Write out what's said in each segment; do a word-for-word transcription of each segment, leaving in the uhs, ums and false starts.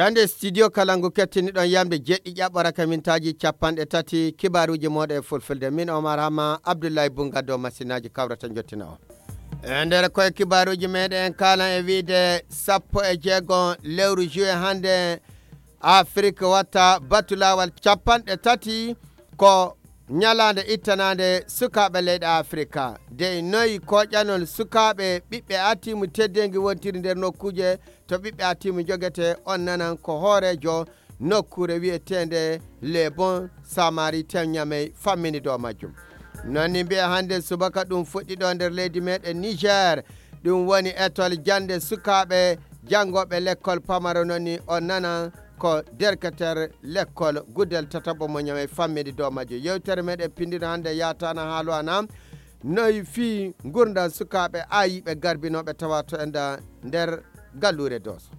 Hannde studio Kalangu kettiniɗon yamde jeɗɗi ƴaɓɓoraka mintaaji capanɗe tati, kibaaruuji mooɗon e fulfulde. Min Omar Hama, Abdullahi Bunga dow masinaaji kawrata njottina on. E nder koye kibaaruuji meɗen en kaalan e wiide sappo e jeego lewru juin hannde, Afrik watta batu laawal capanɗe tati ko ñalaande ittanaande sukaaɓe leyɗe Afirika. Dey noy koƴanol sukaaɓe ɓiɓɓe atiimu teddeengi wontiri nder nokkuuje to ɓiɓɓe atiimu njogete on nanan ko hooreejo nokkuure wiyeteende Le Bon Samaritain Ñamey fammini dow majjum. Non ni mbiya hannde subaka ɗum fuɗɗi ɗo nder leydi meɗen Niger. Ɗum woni etol jannde sukaaɓe janngooɓe lekkol pamaro non ni on nanan ko derketer lekkol guddel tataɓo mo ñamey fammidi dow majjo. Yewtere meɗen pindino hannde yataana haalu ana noy fii ngurndan sukaaɓe aayiiɓe garbinooɓe tawa to enda nder galluure Dooso.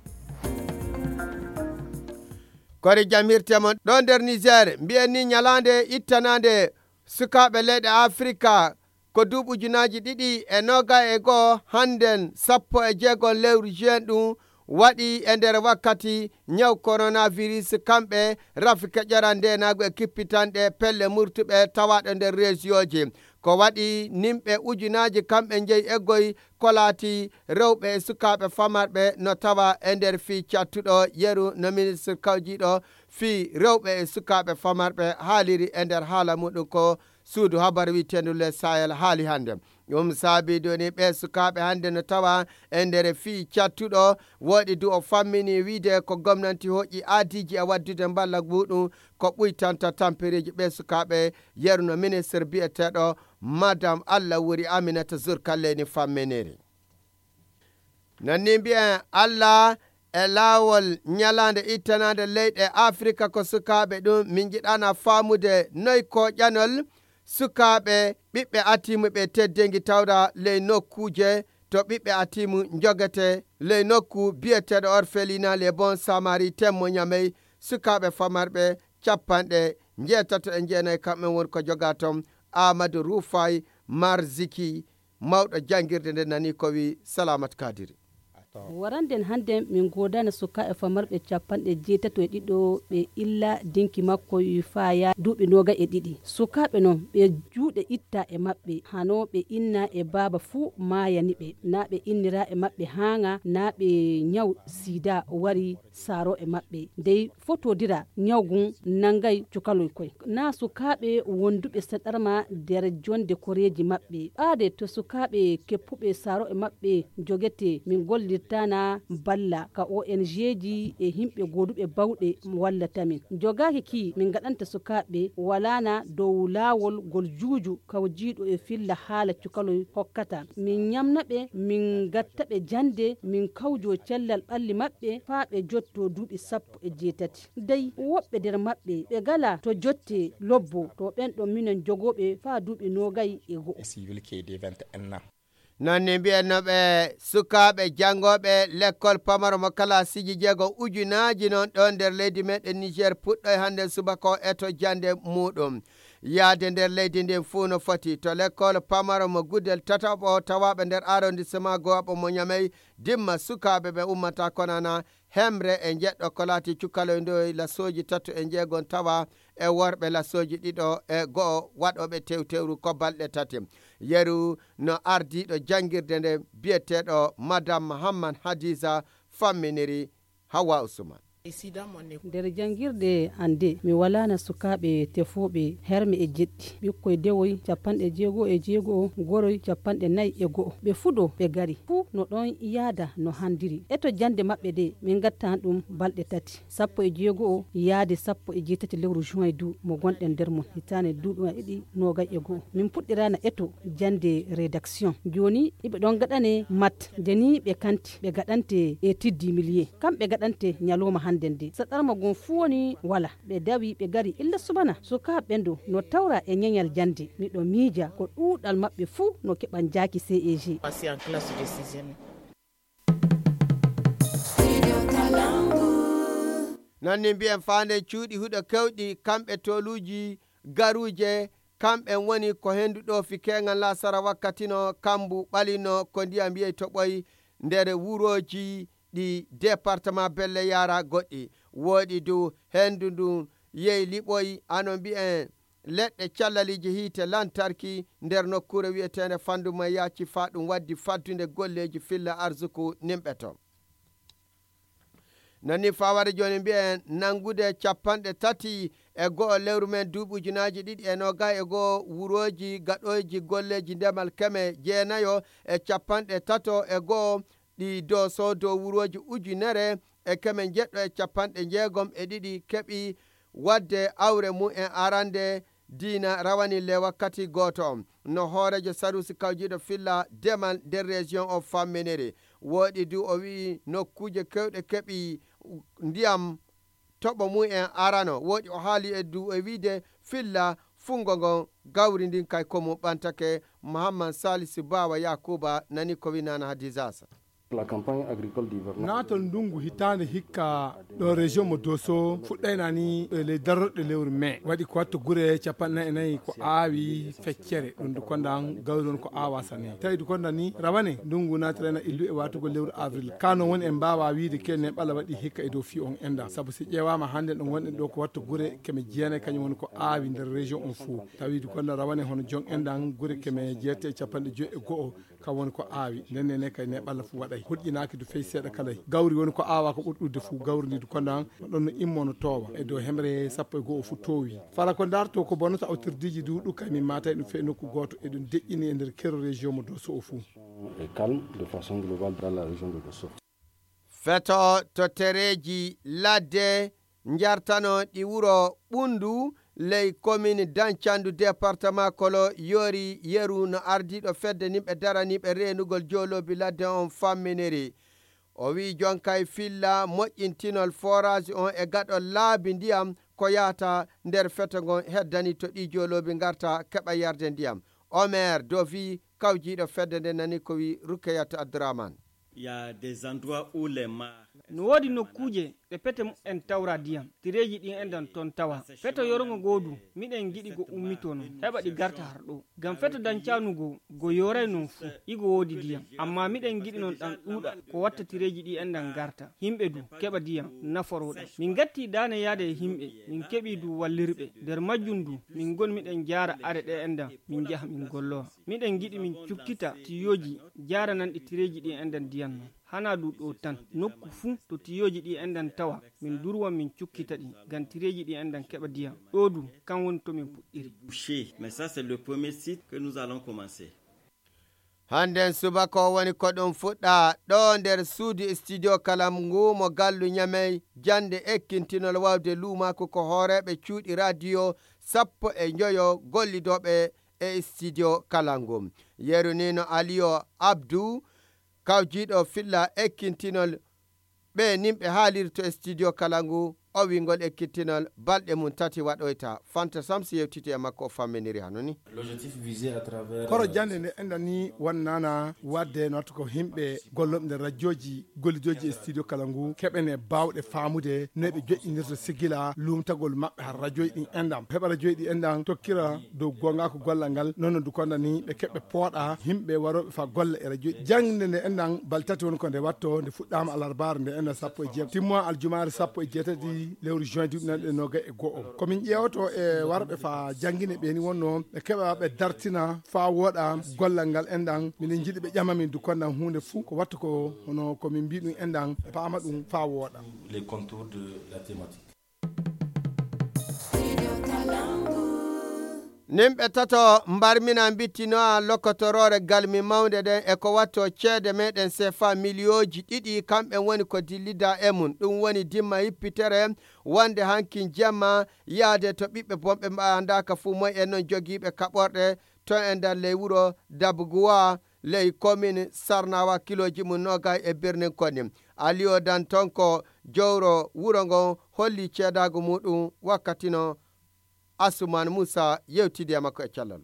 Kori jamirte mon ɗo nder Niger, mbiyen ni ñalaande ittanaande sukaaɓe leyɗe Afirika ko duuɓi ujunaaji ɗiɗi e noogay e go'o, hannden sappo e jeego lewru juin ɗum waɗi e nder wakkati ñaw coronavirus, kamɓe rafi keƴoran ndeenaagu e kippitanɗe pelle murtuɓe tawaaɗo nder reesiyooji. Ko waɗi nimɓe ujunaaji kamɓe njeyi eggoy ko laati rewɓe e sukaaɓe famarɓe no tawa e nder fii cattuɗo yeru no ministre kawjiiɗo fii rewɓe e sukaaɓe famarɓe haaliri e nder haala muɗum ko suudu habar wi'eteendu Le Sahel haali hannde. Ɗum saabii doni ɓee sukaaɓe hannde no tawa e nder fii cattuɗo woɗi du o fammini wiide ko gomnanti hoƴƴi aadiiji e waddude mballa muɗum ko ɓuytanta tampereeji ɓee sukaaɓe yeru no ministre biyeteeɗo Madam Allah wuri Aminata Zurkalleni famminiri. Non ni mbiyen Allah e laawol ñalaande ittanaande leyɗe Afirika ko sukaaɓe ɗum min njiɗana faamude noy koƴanol sukaaɓe ɓiɓɓe atiimu ɓe teddeengi tawra ley nokkuuje to ɓiɓɓe atiimu njogete ley nokku biyeteeɗo orphelinat Les Bons Samaritains mo Ñamey sukaaɓe famarɓe capanɗe njeetato e jeenayi kamɓe woni ko jogaa toon Amadou Rufay Marziki mawɗo janngirde nde nani ko wi Salamat Kadiri. Waranden hannden min goodana sukaaɓe famarɓe capanɗe jeetato e ɗiɗo ɓe illa dinki makko faaya duuɓi nooga e ɗiɗi. Sukaaɓe non ɓe juuɗe itta e maɓɓe hano ɓe inna e baaba fuu maayani ɓe na ɓe innira e maɓɓe haaŋa na ɓe ñaw sida wari saaro e maɓɓe dey fotodira ñawgun nangay cukaloy koy na sukaaɓe wonduɓe saɗarma der jonde koreeji maɓɓe ɓaade to sukaaɓe keppuɓe saaro e maɓɓe jogete min gollirtana balla ka ong ji e himɓe gooduɓe bawɗe wallata min jogaaki ki min gaɗanta sukaaɓe walana dow laawol gol juuju kawjiiɗo e filla haala cukaloy hokkata min ñamna ɓe min gatta ɓe jande min kawjo cellal ɓalli maɓɓe faa ɓe jotto duuɓi sappo e jeetati dey woɓɓe der maɓɓe ɓe gala to jotte lobbo to ɓen ɗon minen jogooɓe faa duuɓi noogay e go'o. Non ni mbi'en no ɓe sukaaɓe janngooɓe lekkol pamaro mo kalaasiiji jeego ujunaaji non ɗo nder leydi meɗen Niger puɗɗoy hannde subaka o eto jannde muɗum yaade nder leydi ndin fuu no foti to lekkol pamaro mo gudel tataɓo tawaaɓe nder arrondissement gowaɓo mo ñamey dimma sukaaɓe ɓe ummata konana hemre e jeɗɗo ko laati cukaloy ndoy lasooji tato e jeegon tawa e worɓe lasooji ɗiɗo e go'o waɗooɓe tewtewru ko balɗe tati yeru no ardiiɗo janngirde nde biyeteeɗo madame mahamman hadiza famminiri hawa usman. Nder janngirde an de mi walaana sukaaɓe tefooɓe herme e jeɗɗi ɓikkoy dewoy capanɗe jeego e jeego goroy capanɗe nay e go'o ɓe fuɗo ɓe gari fuu no ɗon yaada no handiri eto jannde maɓɓe de min ngattan ɗum balɗe tati sappo e jeego yaade sappo e jeetati lewru juin du mo gonɗen nder mum hitaande duuɓi ɗiɗi noogay e go'o min puɗɗirana eto jannde rédaction jooni iɓe ɗon gaɗane mat nde ni ɓe kanti ɓe gaɗante e tiddi miliye kamɓe gaɗante ñalowma hannde nde saɗarma gon fuu woni wala ɓe dawi ɓe gari illa subana sukaaɓe ɓen ɗo no tawra e ñeñal jannde miɗo miija ko ɗuuɗal maɓɓe fuu no keɓan jaaki ceg. Non ni mbiyen faanden cuuɗi huɗo kewɗi kamɓe tooluuji garuuje kamɓen woni ko henndu ɗoofi keeŋal laasara wakkatino kambu ɓalino ko ndiyam yey toɓoy nder wurooji ɗi département Belle Yara goɗɗi. Woɗi du hendu ndun yehi liɓoyi, hano mbi'en leɗɗe callaliiji hiite lantarki nder nokkuure wi'eteende Fandu Mayaaci, faa ɗum waddi faddunde golleeji filla arsuku nimɓe to. Non nii faa wara jooni mbi'en nanngude capanɗe tati e go'o lewru men duuɓi ujunaaji ɗiɗi e noogay e go'o wurooji gaɗooji golleeji ndemal keme jeenayo e capanɗe tato e go'o ɗi Dooso dow wurooji ujunere e keme njeɗɗo e capanɗe njeegom e ɗiɗi keɓi waɗde awre mum en arande diina rawani le wakkati gooto on. No hooreejo saruusi kawjiiɗo filla demal nder région o famminiri. Woɗi du o wi'i nokkuuje kewɗe keɓi ndiyam toɓo mum en arano. Woɗi o haali e du e wi'de filla fungo ngon gawri ndin kay ko mum ɓantake. Muhammad Salisu Bawa Yakuba nani ko winana Hadizasa. La campagne agricole d'hivernage. Naatol ndungu hitaande hikka ɗo région mo Doso fuɗɗayna ni e ley darorɗe lewru mai. Waɗi ko watto gure capanɗe nayi e nayi ko aawi feccere. Ɗum du kondan gawri on ko aawa sane. Tawi du kondan ni rawane ndungu naatirayna illu e watugol lewru avril. Kano woni en mbaawa wiide ke neɓala waɗi hikka e dow fii on endan. Sabu si ƴeewaama hannde ɗo ngonɗen ɗo ko watto gure keme jeenayi kañum woni ko aawi nder région on fuu. Tawi du kondan rawane hono jon endan gure keme jeetati e capanɗe joyi e go'o. Kam woni ko aawi, nden ne kay neɓalla fu waɗay. Hulƴinaaki du fey seeɗa kalay. Gawri woni ko aawaa ko ɓuri ɗuuɗude fu. Gawri ndi du kondan, no ɗon no immo no toowa. E dow hemre sappo e go'o fu toowi. Fala ko ndarto ko bonata awtirdiiji du ɗum kay min maatay ɗum fey nokku gooto. E ɗum deƴƴini e nder kero région mo Doso o fu. Est calme de façon globale dans la région de Dosso. Feto to tereeji ladde njartano ɗi wuro Ɓunndu ley komin Dañcandu, departama Kolo, yoori yeru no ardiiɗo fedde nimɓe daraniiɓe reenugol jooloobi ladde on famminiri. O wi'i jonkay filla moƴƴintinol forage on e gaɗol laabi ndiyam ko yahata nder feto ngon heddani to ɗi jooloobi ngarta keɓa yarde ndiyam. Omer Dovi, kawjiiɗo fedde nde nani ko wi'i Rukeyat Abdurahman. Il y a des endroits où les mares. No woodi nokkuuje ɗe pete mumen tawra diyam, tireeji ɗin enɗan ton tawa. Feto yorongo goo du, miɗen giɗi go ummitoo non, heɓa ɗi garta har ɗoo. Ngam feto Dañcaanu goo, go yooray non fuu, igo woodi diyam. Ammaa miɗen giɗi non ɗan ɗuuɗa, ko watta tireeji ɗin enɗan garta. Himɓe du, keɓa diyam, naforoo ɗan. Min ngattii daane yaade e himɓe, min keɓii du wallirɓe. Nder majjum du, min ngon miɗen jaara are ɗe enɗan, min njaha min gollowa. Miɗen giɗi min cukkita tiyooji jaarananɗi tireeji ɗi enɗan diyam non. Hanaa du ɗoo tan, nokku fuu to tiyooji ɗi enɗan tawa, min durwan min cukkita ɗi, ngam tireeji ɗi enɗan keɓa diyam. Ɗoo du, kan woni to min puɗɗiri. Boucher. Mais ça, c'est le premier site que nous allons commencer. Hannden subaka o woni ko ɗum fuɗɗa ɗo nder suudu studio Kalangu mo gallu Ñamey, jannde ekkintinol waawde luumaaku ko hooreeɓe cuuɗi radio sappo e njoyo gollidooɓe e studio Kalangu. Yeru ni no Aliyo Abdu, kawjiiɗo filla ekkintinol ɓe nimɓe haaliri to studio Kalangu, o wi'ngol ekkitinol balɗe mum tati waɗoyta. Fanta Samsi yewtiti e makko, o famminiri hano ni. L'objectif visé à travers, koro euh, jannde nde enɗan ni wonnana waɗde noto ko himɓe gollooɓe nder rajooji gollidooji e studio Kalangu keɓene baawɗe faamude no ɓe joƴƴinirta sigila luumtagol maɓɓe har rajooji ɗin enɗan. Heɓa rajooji ɗi enɗan tokkira dow goongaaku gollal ngal, non no du konda ni ɓe keɓɓe pooɗa himɓe warooɓe fa golle e rajooji. Jannde nde enɗan balɗe tati woni ko nde watto, nde fuɗɗaama alarbaare nde enɗan sappo e jeegom, timmo aljumaare sappo e jeetati lewru juin duuɓi nanɗe noogay e go'o. Ko min ƴeewoto e warɓe fa janngine ɓe ni wonno ɓe keɓa ɓe dartina fa wooɗa gollal ngal enɗan. Miɗen njiɗi ɓe ƴama min du kondan huunde fuu ko wattu ko hono ko min mbii ɗum enɗan e paama ɗum fa wooɗa. Les contours de la thématique. Nimɓe tato mbarmina mbittinoa lokotoroore galmi mawnde nden e ko watto ceede meɗen sefa miliyooji ɗiɗi, kamɓe woni ko dillida e mum. Ɗum woni dimma hippitere wonde hankin jemma yaade to ɓiɓɓe bonɓe mbaandaaka fuu moy en non jogiiɓe kaɓorɗe to e nder ley wuro Dabuguwa, ley komin Sarnawa, kilooji mum noogay e birnin Koni. Aliyo Dantonko, jowro wuro ngon, holli ceedaagu muɗum wakkati no Asuman Musa yewtidi e makko e cellal.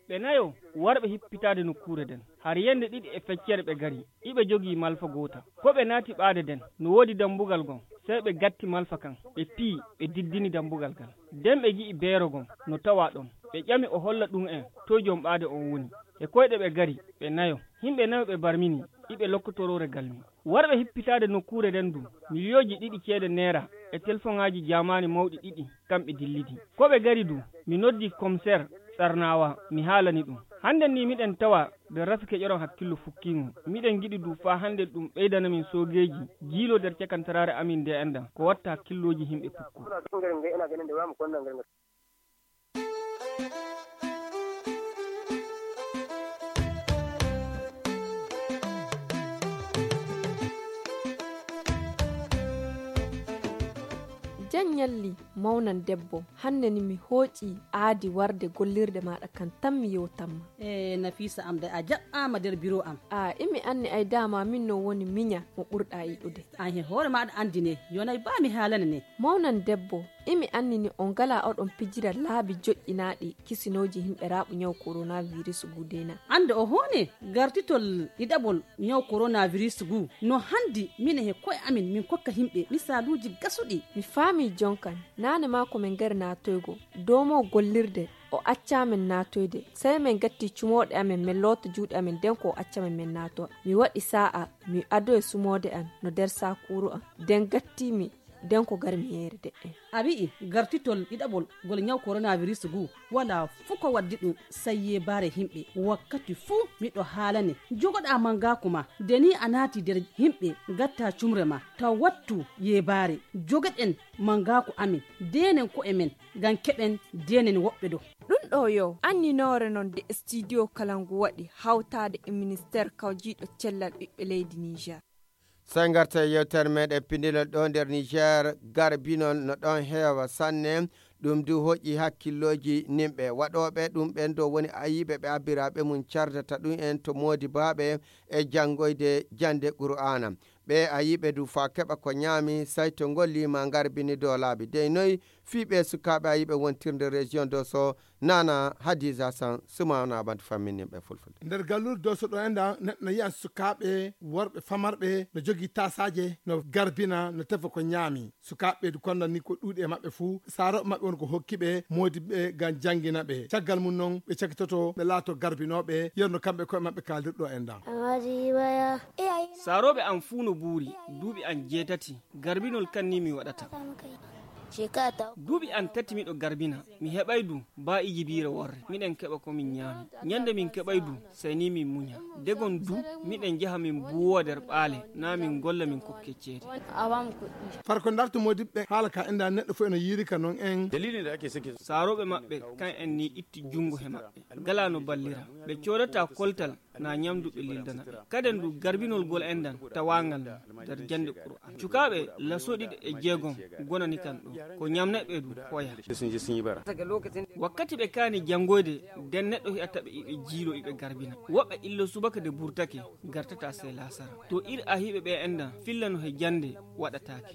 Ɓe nayo warɓe hippitaade nokkuure nden. Har yende ɗiɗi e feccere ɓe gari, iɓe jogii malfa goota. Ko ɓe naati ɓaade nden, no woodi dambugal ngon. Sey ɓe gatti malfa kan, ɓe piyi, ɓe diddini dambugal ngal. Nden ɓe ngi'i beero ngon no tawaa ɗon. Ɓe ƴami o holla ɗum'en toy jom ɓaade on woni. E koyɗe ɓe gari, ɓe nayo. Himɓe nayo ɓe barmini, iɓe lokkotoroore galmi. Warɓe hippitaade nokkuure nden du, miliyooji ɗiɗi ceede neera e telefoŋaaji jaamaani mawɗi ɗiɗi, kamɓe dillidi. Ko ɓe gari du, mi noddi commissaire Tsarnawa, mi haalani ɗum. Hannden ni miɗen tawa nder rafi keƴoron hakkillo fukkiingo. Miɗen ngiɗi du faa hannden ɗum ɓeydana min soogeeji jiilo nder cakantaraare amin nde anndan. Ko watta hakkillooji yimɓe pukku. Jan ñalli, mawnan debbo, hannde ni mi hooƴi aadi warde gollirde maaɗa kan tan mi yewtanma. E Nafisa am de a jaɓɓaama nder biro am. A imi anni ay dama min no woni miña mo ɓurɗa yiɗude. An he hoore maaɗa anndi ne, yonay ba mi haalana ne. Mawnan debbo, imi anni ni on ngala oɗon pijira laabi joƴƴinaaɗi kisinooji himɓe raaɓu ñaw coronavirus gudena. Annde o hoone gartitol ɗiɗaɓol ñaw coronavirus gu no hanndi mine he koye amin min kokka himɓe misaaluuji gasuɗi. Mi faami jonkan, naane maa ko min ngari naatoygo dow mo gollirde, o acca min naatoyde. Sey min gatti cumooɗe amin, min loota juuɗe amin, nden ko o acca min min naatowa. Mi waɗi saa'a, mi adoyi sumoode an no nder saakuuru an, nden gatti mi, nden ko gar mi yeere de'en. A wi'i gartitol ɗiɗaɓol ngol ñaw coronavirus gu, walaa fuu ko waddi ɗum, sey yeebaare himɓe. Wakkati fuu miɗo haalane, jogoɗaa mangaaku ma, nde ni a naati nder himɓe, gatta cumre ma, taw wattu yeebaare. Jogoɗen mangaaku amin, deenen ko'e men, ngam keɓen deenen woɓɓe do. Ɗum ɗo yo anninoore non de studio kala ngu waɗi hawtaade e ministeer kawjiiɗo cellal ɓiɓɓe leydi Niger. Sey ngarta e yewtere meɗen pinndinol ɗo nder Niger, garbinol no ɗon heewa sanne. Ɗum du hoƴi hakkillooji nimɓe waɗooɓe ɗum ɓen dow woni ayiɓe ɓe abbiraaɓe mum cardata ɗum en to moodibaaɓe e janngoyde jannde Qur'aana. Ɓe ayiɓe du faa keɓa ko ñaami, sayto ngol liima ngarbini dow laabi dey noy fii ɓe sukaaɓe ayiɓe wontirde région Dosso. Nana Hadiza San Sumana Bantu famminnin ɓe fulfulde. Nder gallure Dosso ɗo enɗan neɗɗo no yi'an sukaaɓe worɓe famarɓe no jogii taasaaje no garbina no tefa ko ñaami. Sukaaɓe du kondan ni ko ɗuuɗi e maɓɓe fuu saarooɓe maɓɓe won ko hokki ɓe moodi ɓe ngam janngina ɓe. Caggal mum non ɓe cakitoto ɓe laato garbinooɓe yerno kamɓe koye maɓɓe kaaldirɗo enɗan. Saarooɓe am fuu no buuri duuɓi am jeetati. Garbinol kan ni mi waɗata. Duuɓi an tati miɗo garbina, mi heɓay du ba ijibiire worre, miɗen keɓa ko min ñaami. Ñande min keɓay du, sey ni min muña. Degon du, miɗen jaha min buuwa nder ɓaale, naa min golla min kokke ceede. Far ko ndartu moodiɓɓe haala ka enda neɗɗo fof eno yiiri ka non en. Saarooɓe maɓɓe kan en ni itti junngo he maɓɓe, gala no ballira. Ɓe coodata koltal na ñamdu ɓe lildana ɓe. Kaden du garbinol gol enɗan tawangal nder jannde Qur'an. Cukaaɓe laso ɗiɗi e jeegom gonani kan ɗo. Ko ñamneɓe du hoya. Wakkati ɓe kaani janngoyde, den neɗɗo hi'ata ɓe iɓe jiilo iɓe garbina. Woɓɓe illo subaka de burtake, gartata sey laasara. To ir ahiɓe ɓe enɗan fillano he jannde waɗataake.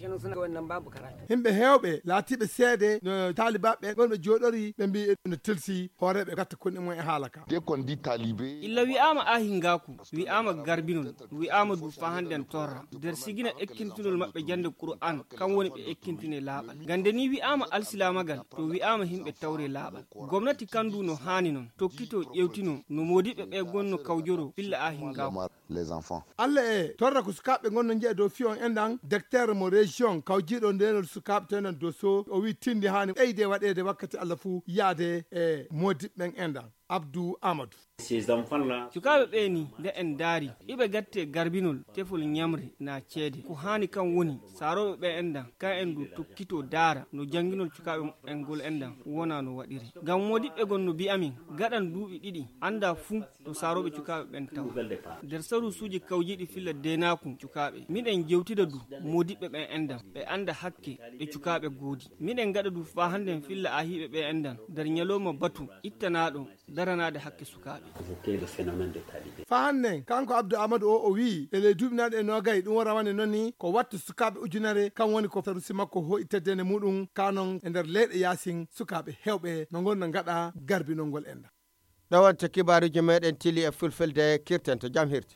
Himɓe heewɓe laatiiɓe seede no taalibaaɓe ɓen wonɓe jooɗori ɓe mbi'i no tilsi hooreeɓe gatta konɗi mum e haala ka. Dès qu'on dit talibé. Illa wi'aama aahingaaku, wi'aama garbinol, wi'aama du faa hannden torra. Nder sigina ekkintinol maɓɓe jannde Qur'aan, kan woni ɓe ekkintine laaɓal. Ngam nde nii wi'aama alsilaamagal, to wi'aama himɓe tawre laaɓal. Gomnati kan du no haani non, tokkitoo ƴeewtinoo no moodiɓɓe ɓe gonno kawjoroo filla aahingaaku. Allah e torra ko sukaaɓe ngonno njiya dow fiyon enɗan, docteur mo région kawjiiɗo ndeenol sukaaɓe to enɗan Dosso, o wi tindi haani ɓeyde waɗeede wakkati Allah fuu yaade e moodiɓɓen enɗan. Abdou Amadou. Cukaaɓe ɓee ni nde en ndaari iɓe gatte garbinol tefol ñamre na ceede, ko haani kan woni saarooɓe ɓe enɗan kan en du tokkitoo daara no jannginol cukaaɓe muɓɓen ngol enɗan wona no waɗiri. Ngam moodiɓɓe gon no mbi'amin gaɗan duuɓi ɗiɗi annda fuu to saarooɓe cukaaɓe ɓen tawa. Nder saruusuuji kawjiiɗi filla deenaaku cukaaɓe miɗen jewtida du moodiɓɓe ɓen enɗan ɓe annda hakke ɗe cukaaɓe goodi. Miɗen ngaɗa du faa hannden filla ahiiɓe ɓe enɗan nder ñalooma batu ittanaaɗo daranaade hakke sukaaɓe. Faa hannden kanko Abdou Amadou o o wii e ley duuɓi naaɗi e noogay ɗum o rawane non ni ko wattu sukaaɓe ujunere kan woni ko saruusi makko hooƴi teddene muɗum ka non e nder leyɗe yaasin sukaaɓe heewɓe no ngon no ngaɗa garbinol ngol enɗan. Ɗo wonta kibaaruuji meɗen tili e fulfulde kirten to jam hirti.